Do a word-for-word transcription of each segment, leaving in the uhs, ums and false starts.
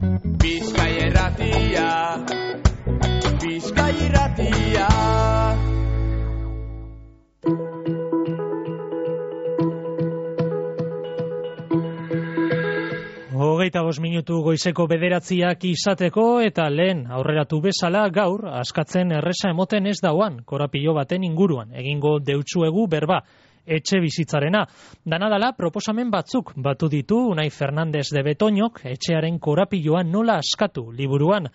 Bizkai Irratia, Bizkai Irratia. Hogeita bost minutu goizeko bederatziak izateko eta lehen aurreratu bezala gaur askatzen erresa emoten ez dauan korapilo baten inguruan egingo deutsuegu berba etxe bizitzarena. Danadala proposamen batzuk batu ditu Unai Fernandez de Betoñok etxearen korapiloa nola askatu liburuan.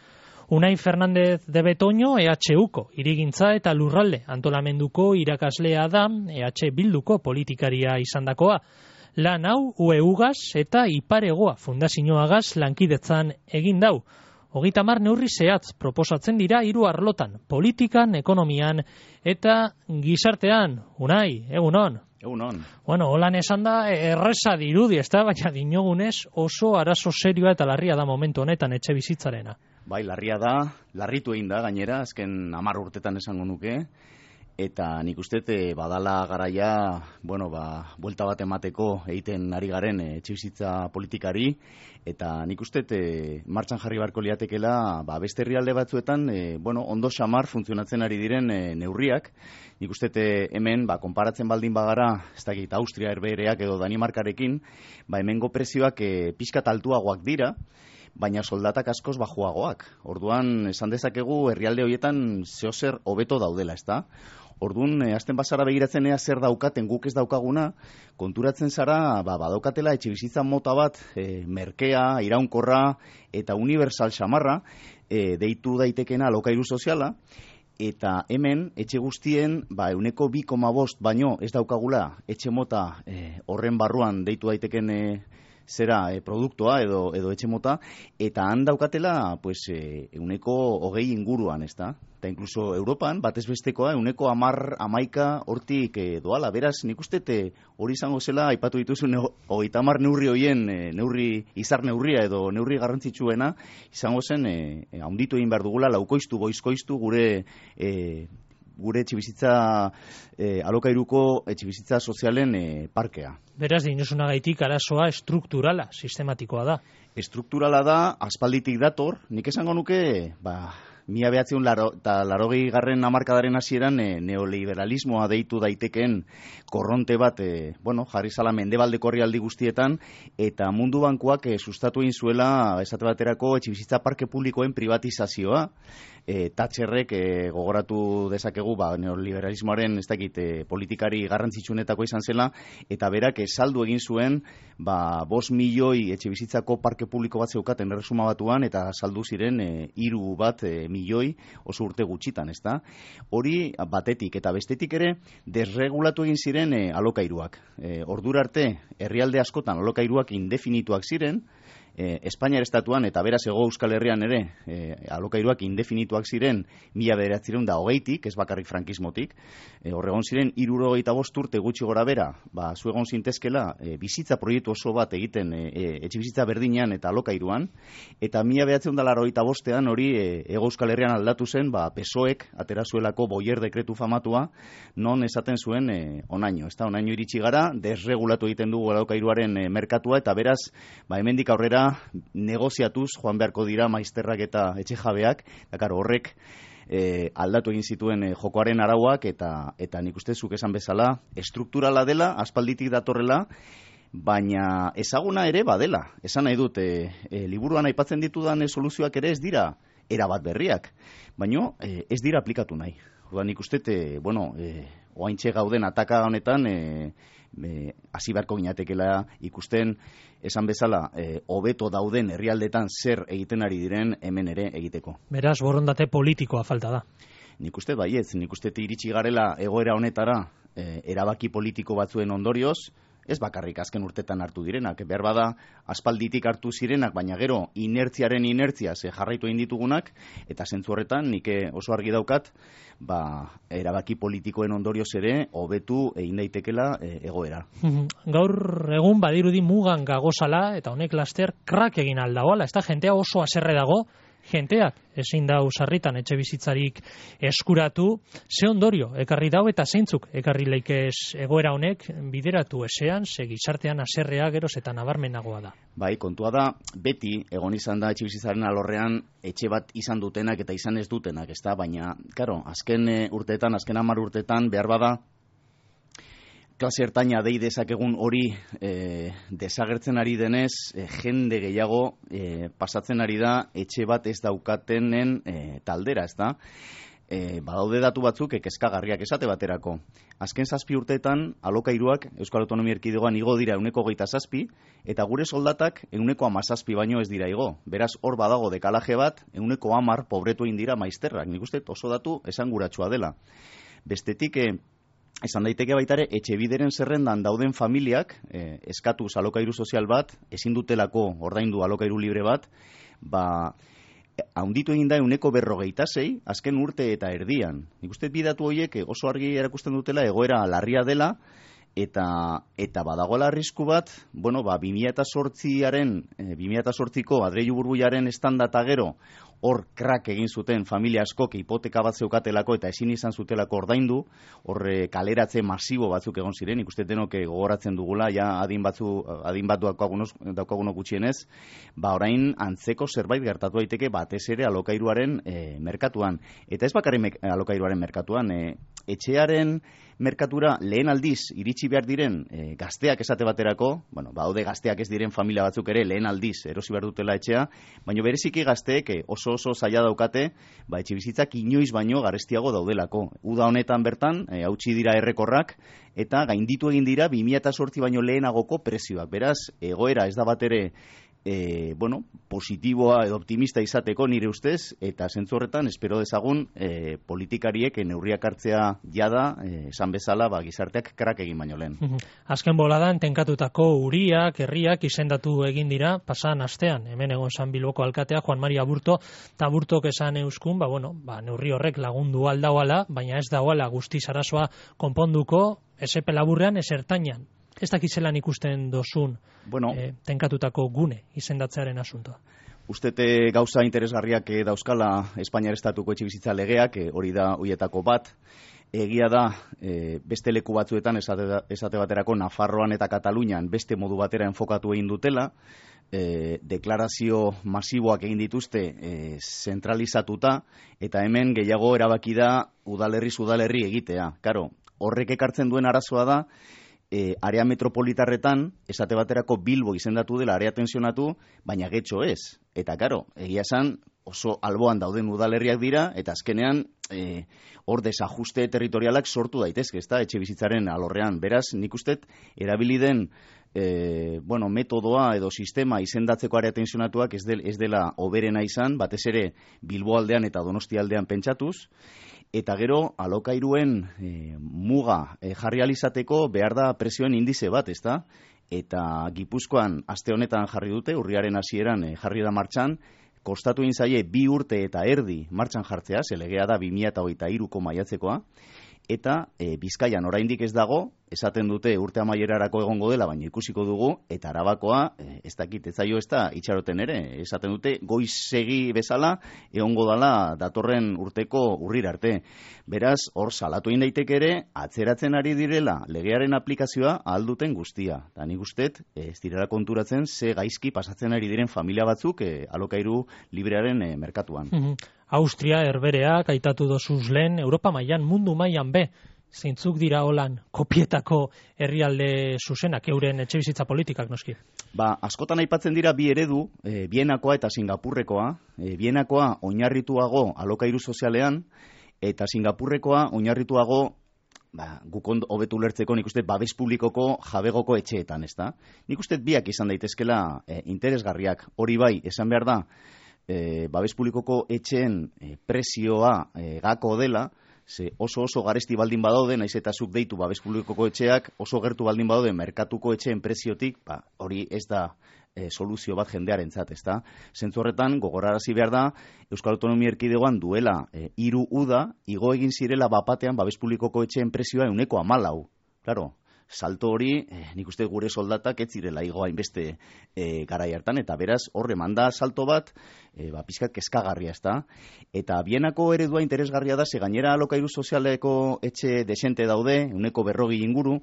Unai Fernandez de Betoño E H Uko hirigintza eta lurralde antolamenduko irakaslea da E H Bilduko politikaria izandakoa. Lan hau U E Ugaz eta Iparegoa fundazioagaz lankidetzan egin dau. Hogeita hamar neurri zehatz proposatzen dira hiru arlotan, politikan, ekonomian eta gizartean. Unai, egunon. Egunon. Bueno, holan esan da erresa dirudi, ezta, baina dinogunez oso arazo serioa eta larria da momentu honetan etxe bizitzarena. Bai, larria da, larritu egin da gainera, azken hamar urtetan esango nuke. Eta nik uste badala garaia, bueno, ba, buelta bat emateko egiten ari garen etxebizitza politikari, eta nik uste martxan jarri barko liatekela, ba, beste herrialde batzuetan, e, bueno, ondo xamar funtzionatzen ari diren e, neurriak. Nik uste hemen, ba, konparatzen baldin bagara, ez dakit Austria, Herbehereak edo Danimarkarekin, ba, hemengo prezioak e, pixkat altuagoak dira, baina soldatak askoz bajuagoak. Orduan, esan dezakegu, herrialde horietan zehozer hobeto daudela, ezta? Orduan, e, azten bazara begiratzen ea zer daukaten guk ez daukaguna, konturatzen zara, ba, badaukatela etxebizitza mota bat, e, merkea, iraunkorra eta universal xamarra, e, deitu daitekena alokairu soziala, eta hemen, etxe guztien, ba, euneko bi koma bost baino ez daukagula etxe mota e, horren barruan deitu daiteken e, zera e, produktoa edo, edo etxe mota, eta han daukatela pues, e, euneko hogei inguruan, ez da? Eta inkluso Europan, batez bestekoa, euneko amar, amaika hortik e, doala. Beraz, nik uste hori izango zela, aipatu dituzu, hogeita hamar neurri hoien, e, neurri, izar neurria edo neurri garrantzitsuena, izango zen, e, e, haunditu egin behar dugula, laukoiztu, boizkoiztu, gure... E, gure etxebizitza e, alokairuko etxebizitza sozialen e, parkea. Beraz, dinuzunagaitik arazoa estrukturala, sistematikoa da. Estrukturala da, aspalditik dator, nik esango nuke, ba, mila behatziun laro, eta larogei garren hamarkadaren hasieran e, neoliberalismoa deitu daitekeen korronte bat, e, bueno, jarri zala mendebaldeko herrialde guztietan, eta mundu bankuak e, sustatu egin zuela, esate baterako, etxebizitza parke publikoen privatizazioa, E, Thatcherrek e, gogoratu dezakegu ba, neoliberalismoaren ez dakit, e, politikari garrantzitsunetako izan zela, eta berak e, saldu egin zuen ba, bost milioi etxebizitzako parke publiko bat zeukaten erresuma batuan, eta saldu ziren e, hiru bat e, milioi oso urte gutxitan, ezta? Hori batetik, eta bestetik ere desregulatu egin ziren e, alokairuak. E, ordura arte, herrialde askotan alokairuak indefinituak ziren, E, Espainiar estatuan eta beraz Hego Euskal Herrian ere e, alokairuak indefinituak ziren mila bederatziehun eta hogeitik, ez bakarrik frankismotik, e, horregon ziren hirurogeita bost urte gutxi gora bera, ba, zuegon zintezkela e, bizitza proiektu oso bat egiten e, e, etxe bizitza berdinean eta alokairuan, eta mila bederatziehun eta laurogeita bostean hori e, Hego Euskal Herrian aldatu zen, ba, P S O Ek atera zuelako Boyer dekretu famatua, non esaten zuen e, onaino, ez da, onaino iritsi gara, desregulatu egiten dugu alokairuaren e, merkatua, eta beraz, ba, hemendik aurrera negoziatuz joan beharko dira maizterrak eta etxe jabeak, dakar horrek e, aldatu egin zituen e, jokoaren arauak, eta eta nik uste zuk esan bezala estrukturala dela, aspalditik datorrela, baina ezaguna ere badela. Esan nahi dut, e, e, liburuan aipatzen ditudan e, soluzioak ere ez dira erabat berriak, baina e, ez dira aplikatu nahi. Orduan nik uste, e, bueno, e, oaintxe gauden ataka honetan, e, hasi beharko ginatekela ikusten, esan bezala, hobeto e, dauden herrialdetan zer egiten ari diren hemen ere egiteko. Beraz, borondate politikoa falta da. Nik uste baietz, nik uste iritsi garela egoera honetara e, erabaki politiko batzuen ondorioz, ez bakarrik azken urtetan hartu direnak, behar bada aspalditik hartu zirenak, baina gero inertziaren inertzia ze jarraitu egin ditugunak, eta zentzu horretan nik oso argi daukat, ba, erabaki politikoen ondorioz ere hobetu egin daitekela e, egoera. Gaur egun badirudi mugan gagozala, eta honek laster krak egin aldagoala, ez da jentea oso haserre dago, jenteak ezin dau sarritan etxe bizitzarik eskuratu, ze ondorio ekarri dau eta zeintzuk ekarri leikez egoera honek bideratu ezean, ze gizartean haserrea geroz eta nabarmenagoa da. Bai, kontua da, beti egon izan da etxe bizitzaren alorrean etxe bat izan dutenak eta izan ez dutenak, ezta? Baina, karo, azken e, urteetan, azken hamar urteetan behar bada klase ertaina dei dezakegun hori e, desagertzen ari denez, e, jende gehiago e, pasatzen ari da etxe bat ez daukatenen e, taldera, ez da? E, badaude datu batzuk kezkagarriak esate baterako. Azken zazpi urteetan alokairuak Euskal Autonomia Erkidegoan igo dira ehuneko hogeita zazpi, eta gure soldatak ehuneko hamazazpi baino ez dira igo. Beraz, hor badago dekalaje bat, ehuneko hamar pobretu egin dira maizterrak. Nik uste oso datu esanguratsua dela. Bestetik, e, esan daiteke baitare, etxe bideren zerrendan dauden familiak, eh, eskatuz alokairu sozial bat, ezin dutelako ordaindu alokairu libre bat, ba, haunditu egin da ehuneko berrogeita sei, azken urte eta erdian. Nik uste bidatu horiek oso argi erakusten dutela egoera larria dela, eta eta badagoela arrisku bat, bueno, ba, bi mila zortziaren, eh, bi mila zortziko Adreilu Burbuilaren estanda eta gero, hor krak egin zuten familia askok hipoteka bat zeukatelako eta ezin izan zutelako ordaindu, hor kaleratze masibo batzuk egon ziren, ikuste denok gogoratzen dugula, ja adin batzu adin bat daukagunok gutxienez, ba orain antzeko zerbait gertatu daiteke batez ere alokairuaren e, merkatuan. Eta ez bakarrik alokairuaren merkatuan, e, etxearen merkatura lehen aldiz iritsi behar diren e, gazteak esate baterako, bueno, baude gazteak ez diren familia batzuk ere lehen aldiz erosi behar dutela etxea, baina bereziki gazteek oso oso zaila daukate, ba, etxe bizitzak inoiz baino garestiago daudelako. Uda honetan bertan, e, hautsi dira errekorrak, eta gainditu egin dira bi mila zortzi baino lehenagoko prezioak. Beraz, egoera ez da bat ere E, bueno, positiboa edo optimista izateko nire ustez, eta zentzu horretan espero dezagun e, politikariek neurriak hartzea jada, e, esan bezala, ba, gizarteak krak egin baino lehen. Azken boladan tenkatutako uriak, herriak izendatu egin dira pasan astean, hemen egon San Bilboko alkatea Juan Mari Aburto, eta Aburtok esan euskun, ba, bueno, ba, neurri horrek lagundu aldauala, baina ez dauala guztiz arazoa konponduko, ez epe laburrean, ez ertainan. Ez dakitzelan ikusten dozun bueno, eh, tenkatutako gune izendatzearen asuntoa. Ustete gauza interesgarriak eh, dauzkala Espainiar Estatuko etxebizitza legeak, eh, hori da hoietako bat. Egia da, eh, beste leku batzuetan, esate, esate baterako Nafarroan eta Katalunian beste modu batera enfokatu egin dutela, eh, deklarazio masiboak egin dituzte eh, zentralizatuta, eta hemen gehiago erabaki da udalerri udalerri egitea. Karo, horrek ekartzen duen arazoa da, E, area metropolitarretan, esate baterako Bilbo izendatu dela area tensionatu, baina getxo ez. Eta karo, egia esan oso alboan dauden udalerriak dira, eta azkenean e, hor desajuste territorialak sortu daitezke, ezta, etxe bizitzaren alorrean. Beraz, nik ustet, erabili den e, bueno, metodoa edo sistema izendatzeko area tensionatuak ez, del, ez dela oberena izan, batez ere Bilbo aldean eta Donostia aldean pentsatuz, eta gero alokairuen e, muga e, jarri alizateko behar da presioen indize bat, ezta? Eta Gipuzkoan aste honetan jarri dute, urriaren hasieran e, jarri da martxan, kostatu egin zaie bi urte eta erdi martxan jartzea, ze legea da bi mila hogeita hiruko maiatzekoa, eta e, Bizkaian oraindik ez dago, esaten dute urte amaierarako egongo dela, baina ikusiko dugu, eta Arabakoa, e, ez dakit, ez zaio ez da itxaroten ere, esaten dute goizegi bezala, egongo dela datorren urteko urrira arte. Beraz, hor salatu egin daiteke ere, atzeratzen ari direla legearen aplikazioa ahalduten guztia. Da nik ustet, ez direla konturatzen, ze gaizki pasatzen ari diren familia batzuk e, alokairu librearen e, merkatuan. Austria, Herbereak, aitatu dozuz lehen, Europa mailan, mundu mailan be, zeintzuk dira holan kopietako herrialde zuzenak, euren etxebizitza politikak noski? Ba, askotan aipatzen dira bi eredu, e, Bienakoa eta Singapurrekoa. E, Bienakoa oinarrituago alokairu sozialean, eta Singapurrekoa oinarrituago, ba, guk hobetu ulertzeko, nik uste babes publikoko jabegoko etxeetan, ezta? Nik uste biak izan daitezkela e, interesgarriak, hori bai, esan behar da, E, babes publikoko etxeen e, prezioa e, gako dela, ze oso oso garesti baldin badaude, naiz eta zuk deitu babes publikoko etxeak, oso gertu baldin badaude merkatuko etxeen preziotik, ba, hori ez da e, soluzio bat jendearentzat, ezta? Zentzu horretan, gogorarazi behar da, Euskal Autonomia Erkidegoan duela e, hiru uda, igo egin zirela bapatean babes publikoko etxeen prezioa ehuneko hamalau. Claro, salto hori, eh, nik uste gure soldatak ez zirela igo hainbeste eh, garai hartan, eta beraz horre manda salto bat, eh, ba, pizkat kezkagarria, ezta? Eta Bienako eredua interesgarria da, ze gainera alokairu sozialeko etxe desente daude, uneko berrogi inguru,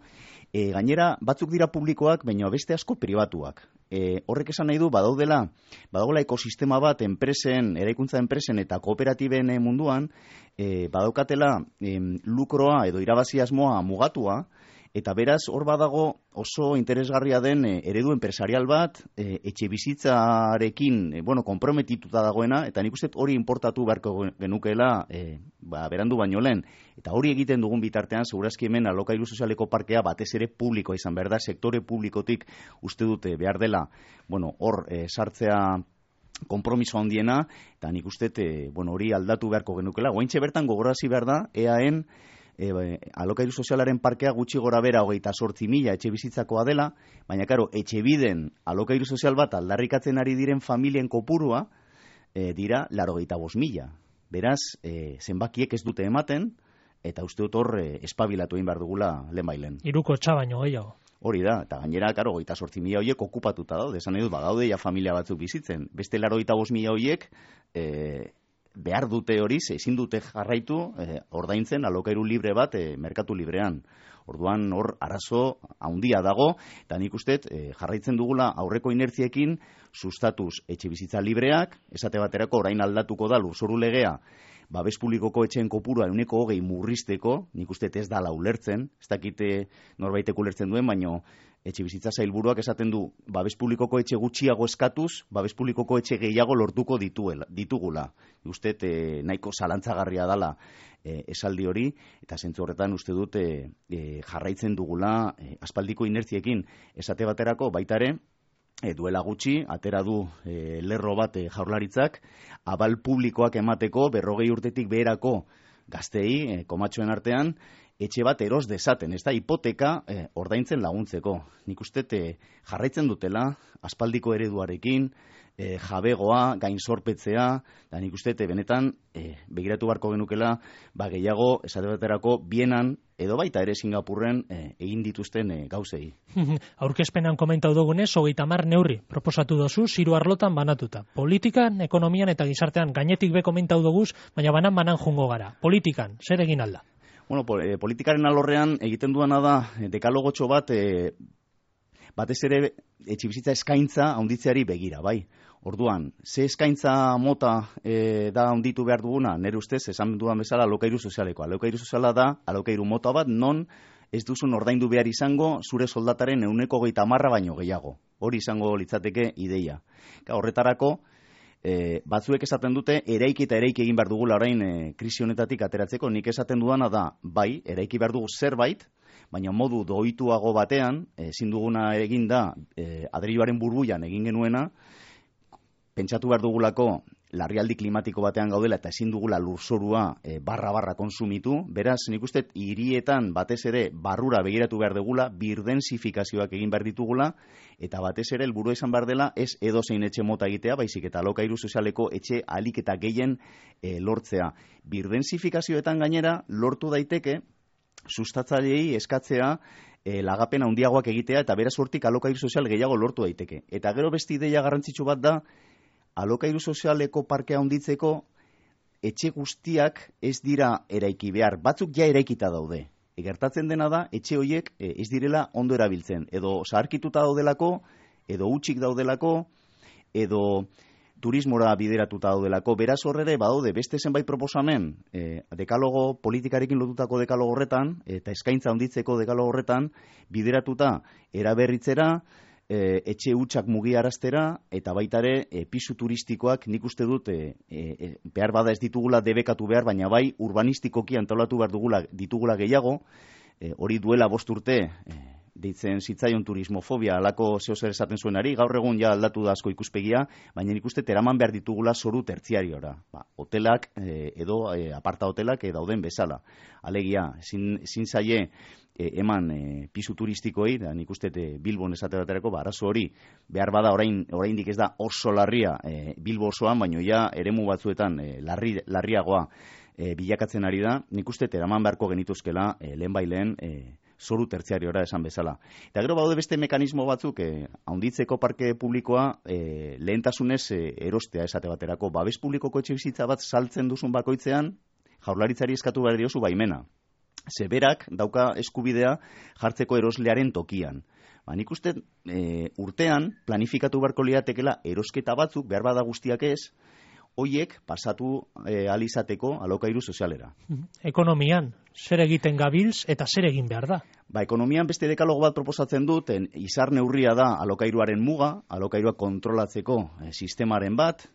e, gainera batzuk dira publikoak, baina beste asko pribatuak. E, horrek esan nahi du, badaudela, badaudela ekosistema bat enpresen, eraikuntza enpresen eta kooperatiben munduan, e, badaukatela e, lukroa edo irabazi asmoa mugatua, eta beraz hor badago oso interesgarria den e, eredu enpresarial bat, e, etxe bizitzarekin e, bueno, konprometituta dagoena, eta nik uste hori importatu beharko genukeela e, ba, berandu baino lehen. Eta hori egiten dugun bitartean, segurazki hemen alokairu sozialeko parkea batez ere publikoa izan behar da, sektore publikotik uste dute behar dela, bueno, hor e, sartzea konpromiso handiena, eta nik uste e, bueno, hori aldatu beharko genukela. Goaintxe bertan gogorazi behar da, eaen E, alokairu sozialaren parkea gutxi gora bera hogeita sortzi mila etxe bizitzakoa dela, baina karo, etxe biden alokairu sozial bat aldarrikatzen ari diren familien kopurua e, dira larogeita bost mila. Beraz, e, zenbakiek ez dute ematen, eta uste dut hor e, espabilatu egin behar dugula lehen bailen. Hiruko txabaino gehiago. Hori da, eta gainera, karo, hogeita sortzi mila horiek okupatuta daude, esan edut, bagaude ja familia batzuk bizitzen. Beste larogeita bost mila horiek, e, behar dute hori, ezin dute jarraitu eh, ordaintzen alokairu libre bat eh, merkatu librean. Orduan hor arazo handia dago, eta nik uste eh, jarraitzen dugula aurreko inertziekin sustatuz etxe bizitza libreak, esate baterako orain aldatuko da lurzoru legea, babes publikoko etxeen kopurua ehuneko hogei murrizteko, nik uste ez dala ulertzen, ez dakite norbaitek ulertzen duen, baino etxe bizitza sailburuak esaten du, babes publikoko etxe gutxiago eskatuz, babes publikoko etxe gehiago lortuko dituela, ditugula. Uste e, nahiko zalantzagarria dala e, esaldi hori, eta zentzu horretan uste dut e, e, jarraitzen dugula e, aspaldiko inertziekin. Esate baterako baitare, e, duela gutxi, atera du e, lerro bat e, jaurlaritzak, abal publikoak emateko berrogei urtetik beherako gaztei, e, komatxoen artean, etxe bat eros dezaten, ez da, hipoteka eh, ordaintzen laguntzeko. Nik uste eh, jarraitzen dutela, aspaldiko ereduarekin, eh, jabegoa, gainzorpetzea, da nik uste benetan eh, begiratu beharko genukela, ba gehiago, esate baterako, Bienan, edo baita ere Singapurren eh, egin dituzten eh, gauzei. Aurkezpenan komentau dugunez, hogeita hamar neurri proposatu dozu, hiru arlotan banatuta. Politikan, ekonomian eta gizartean gainetik be komentau doguz, baina banan-banan jungo gara. Politikan, zer egin alda? Bueno, eh, politikaren alorrean egiten duana da dekalogotxo bat eh, batez ere etxebizitza eskaintza handitzeari begira, bai. Orduan, ze eskaintza mota eh, da handitu behar duguna, nire ustez, esan dudan bezala alokairu sozialeko. Alokairu soziala da alokairu mota bat non ez duzun ordaindu behar izango zure soldataren ehuneko hogeita hamarra baino gehiago. Hori izango litzateke ideia. Ka, horretarako, E, batzuek esaten dute eraiki eta eraiki egin behar dugula orain e, krisi honetatik ateratzeko. Nik esaten duana da, bai, eraiki behar dugu zerbait, baina modu doituago batean, ezin duguna egin da e, adreiluaren burbuian egin genuena, pentsatu behar dugulako larrialdi klimatiko batean gaudela eta ezin dugula lurzorua e, barra-barra konsumitu. Beraz, nik uste hirietan batez ere barrura begiratu behar dugula, birdensifikazioak egin behar ditugula, eta batez ere helburua izan behar dela ez edozein etxe mota egitea, baizik eta alokairu sozialeko etxe ahalik eta gehien e, lortzea. Birdensifikazioetan gainera lortu daiteke sustatzaileei eskatzea e, lagapen handiagoak egitea, eta beraz hortik alokairu sozial gehiago lortu daiteke. Eta gero beste ideia garrantzitsu bat da, alokairu sozialeko parkea handitzeko etxe guztiak ez dira eraiki behar, batzuk ja eraikita daude. E, gertatzen dena da, etxe horiek e, ez direla ondo erabiltzen, edo zaharkituta daudelako, edo hutsik daudelako, edo turismora bideratuta daudelako. Beraz horrere badaude beste zenbait proposamen e, dekalogo politikarekin lotutako dekalogo horretan, eta eskaintza handitzeko dekalogo horretan, bideratuta eraberritzera, E, etxe hutsak mugiaraztera, eta baitare e, pisu turistikoak nik uste dut e, e, behar bada ez ditugula debekatu behar, baina bai urbanistikoki antolatu behar dugula, ditugula gehiago, e, hori duela bost urte e, deitzen zitzaion turismofobia alako zehozer esaten zuenari, gaur egun ja aldatu da asko ikuspegia, baina nik uste teraman behar ditugula zoru tertziariora. Ba, hotelak e, edo e, aparta hotelak e, dauden bezala. Alegia, zin, zin zaie e, eman e, pisu turistikoei, da nik uste e, Bilbon esate baterako, ba, arazo hori behar bada orain oraindik ez da oso larria e, Bilbo osoan, baino ja eremu batzuetan e, larri, larriagoa e, bilakatzen ari da. Nik uste eraman beharko genituzkela e, lehen bailen e, zoru tertziariora esan bezala. Eta gero baude beste mekanismo batzuk, eh, haunditzeko parke publikoa eh, lehentasunez eh, erostea esate baterako. Babes publikoko etxebizitza bat saltzen duzun bakoitzean, Jaurlaritzari eskatu behar diozu baimena. Zeberak dauka eskubidea jartzeko eroslearen tokian. Ba, nik uste e, urtean planifikatu beharko liatekela erosketa batzuk, behar bada guztiak ez, hoiek pasatu e, alizateko alokairu sozialera. Ekonomian, zer egiten gabiltz eta zer egin behar da? Ba, ekonomian beste dekalogo bat proposatzen duten, izar neurria da alokairuaren muga, alokairua kontrolatzeko e, sistemaren bat,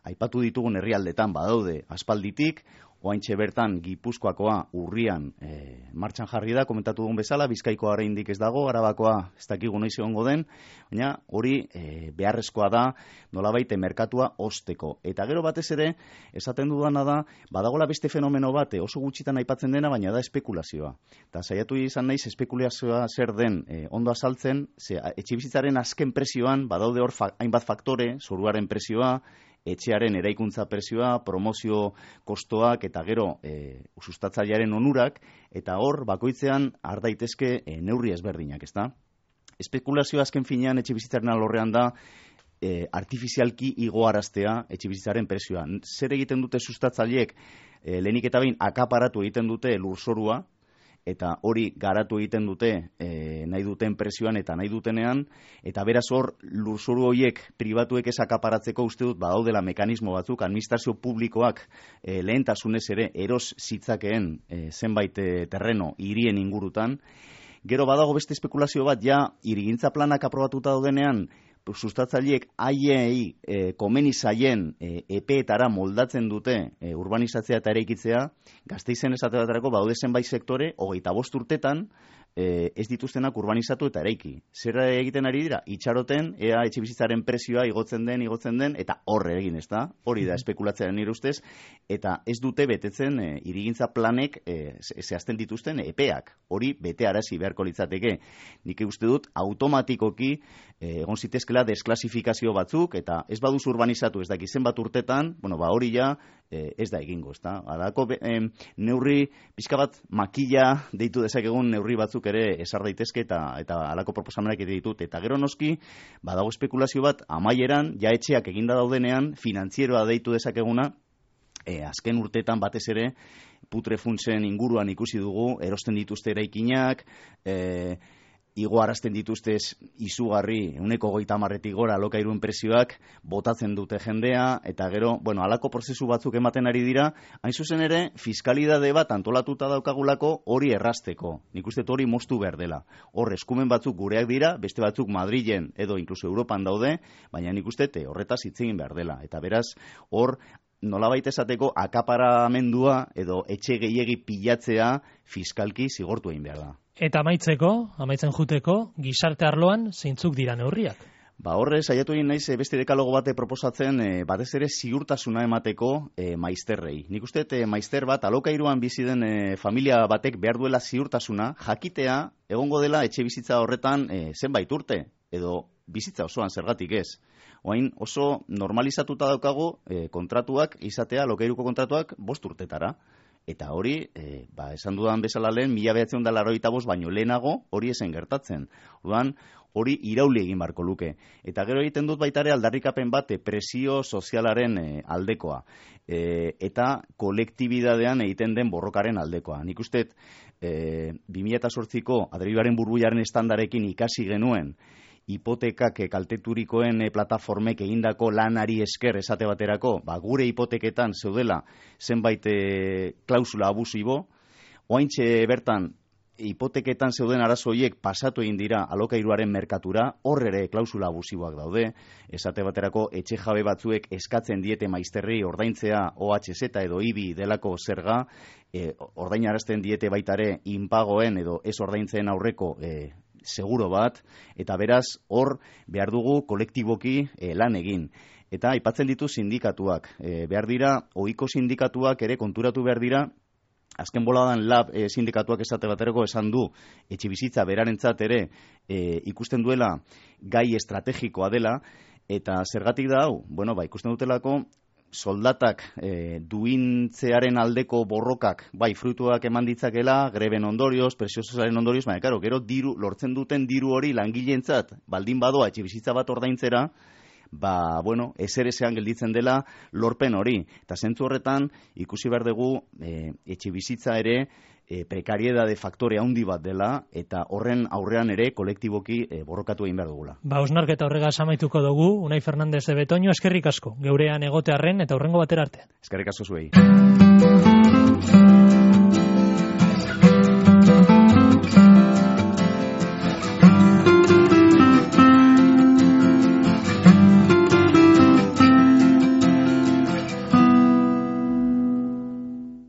aipatu ditugun herrialdetan badaude aspalditik, oaintxe bertan Gipuzkoakoa urrian e, martxan jarri da, komentatu dugun bezala, Bizkaikoa oraindik ez dago, Arabakoa ez dakigu noiz egongo den, baina hori e, beharrezkoa da nolabait merkatua osteko. Eta gero batez ere, esaten dudana da, badagola beste fenomeno bat, oso gutxitan aipatzen dena, baina da espekulazioa. Eta saiatu izan naiz espekulazioa zer den e, ondo azaltzen, ze etxebizitzaren azken prezioan, badaude hor fa, hainbat faktore, zoruaren prezioa, etxearen eraikuntza prezioa, promozio kostoak eta gero e, sustatzailearen onurak, eta hor bakoitzean har daitezke e, neurri ezberdinak, ezta? Espekulazioa azken finean etxebizitzaren alorrean da e, artifizialki igoaraztea etxebizitzaren prezioa. Zer egiten dute sustatzaileek e, lehenik eta behin akaparatu egiten dute lurzorua, eta hori garatu egiten dute e, nahi duten presioan eta nahi dutenean, eta beraz hor lurzoru horiek pribatuek ez akaparatzeko uste dut badaudela mekanismo batzuk, administrazio publikoak e, lehentasunez ere eros zitzakeen e, zenbait e, terreno hirien ingurutan. Gero badago beste espekulazio bat, ja hirigintza planak aprobatuta daudenean, sustatzaileek haiei e, komeni zaien e, epeetara moldatzen dute e, urbanizatzea eta eraikitzea, Gasteizen esate baterako baude zenbait sektore, hogeita bost urtetan, e, ez dituztenak urbanizatu eta eraiki. Zer egiten ari dira? Itxaroten, ea etxebizitzaren prezioa igotzen den, igotzen den, eta horre egin, ez da? Hori da espekulatzea nire ustez, eta ez dute betetzen e, hirigintza planek e, zehazten dituzten epeak. Hori bete arazi beharko litzateke. Nik uste dut automatikoki e, egon zitezkela desklasifikazio batzuk, eta ez baduz urbanizatu ez daki zenbat urtetan, bueno, ba hori ja e, ez da egingo, ez da? Alako e, neurri, pixka bat makila deitu dezakegun neurri batzuk ere esar daitezke eta eta halako proposamenak ere ditut. Eta gero noski, badago espekulazio bat amaieran, ja etxeak eginda daudenean, finantzieroa deitu dezakeguna, e, azken urteetan batez ere, putrefundsen inguruan ikusi dugu, erosten dituzte eraikinak, e, igoarazten dituztez izugarri, ehuneko hogeita hamarretik gora alokairuen prezioak, botatzen dute jendea, eta gero, bueno, halako prozesu batzuk ematen ari dira, hain zuzen ere, fiskalidade bat antolatuta daukagulako hori errasteko. Nik uste hori moztu behar dela. Hor, eskumen batzuk gureak dira, beste batzuk Madrilen edo inkluso Europan daude, baina nik uste horretaz hitz egin behar dela. Eta beraz, hor, nolabait esateko akaparamendua edo etxe gehiegi pilatzea fiskalki zigortu egin behar da. Eta amaitzeko, amaitzen juteko, gizarte arloan zeintzuk dira neurriak? Ba horre, saiatu egin naiz beste dekalogo bate proposatzen e, batez ere ziurtasuna emateko e, maizterrei. Nik uste e, maizter bat alokairuan bizi den e, familia batek behar duela ziurtasuna, jakitea egongo dela etxe bizitza horretan e, zenbait urte, edo bizitza osoan zergatik ez. Oain oso normalizatuta daukagu e, kontratuak izatea, alokairuko kontratuak bost urtetara. Eta hori, e, ba, esan dudan bezala lehen, mila behatzen da laroita bost, baino lehenago hori esen gertatzen. Orduan, hori irauli egin barko luke. Eta gero egiten dut baitare aldarrikapen bat presio sozialaren e, aldekoa. E, eta kolektibidadean egiten den borrokaren aldekoa. Nik uste, e, bi mila zortziko Adreibaren burbuilaren estandarekin ikasi genuen, hipotekak kalteturikoen plataformek egindako lanari esker esate baterako, ba, gure hipoteketan zeudela zenbait e, klausula abusibo, oaintxe bertan hipoteketan zeuden arazo horiek pasatu egin dira alokairuaren merkatura, hor ere klausula abusiboak daude, esate baterako etxe jabe batzuek eskatzen diete maizterri ordaintzea O H Z edo I B I delako zerga, e, ordainarazten diete baitare inpagoen edo ez ordaintzen aurreko e, seguro bat, eta beraz hor behar dugu kolektiboki e, lan egin. Eta aipatzen ditu sindikatuak. E, behar dira, ohiko sindikatuak ere konturatu behar dira, azken boladan lab e, sindikatuak esate baterako esan du, etxebizitza berarentzat ere e, ikusten duela gai estrategikoa dela, eta zergatik da hau? Bueno, ba, ikusten dutelako, soldatak e, duintzearen aldeko borrokak, bai, fruituak eman ditzakela, greben ondorioz, preziosaren ondorioz, baina, karo, gero diru, lortzen duten diru hori langileentzat baldin badoa etxebizitza bat ordaintzera, ba, bueno, ezerezean gelditzen dela lorpen hori. Eta zentzu horretan, ikusi behar dugu, e, etxebizitza ere, e, prekariedade faktore handi bat dela, eta horren aurrean ere kolektiboki e, borrokatu egin behar dugula. Ba, osnarketa horregaz amaituko dugu, Unai Fernandez de Betoño, eskerrik asko, geurean egotearren eta hurrengo batera arte. Eskerrik asko zuei.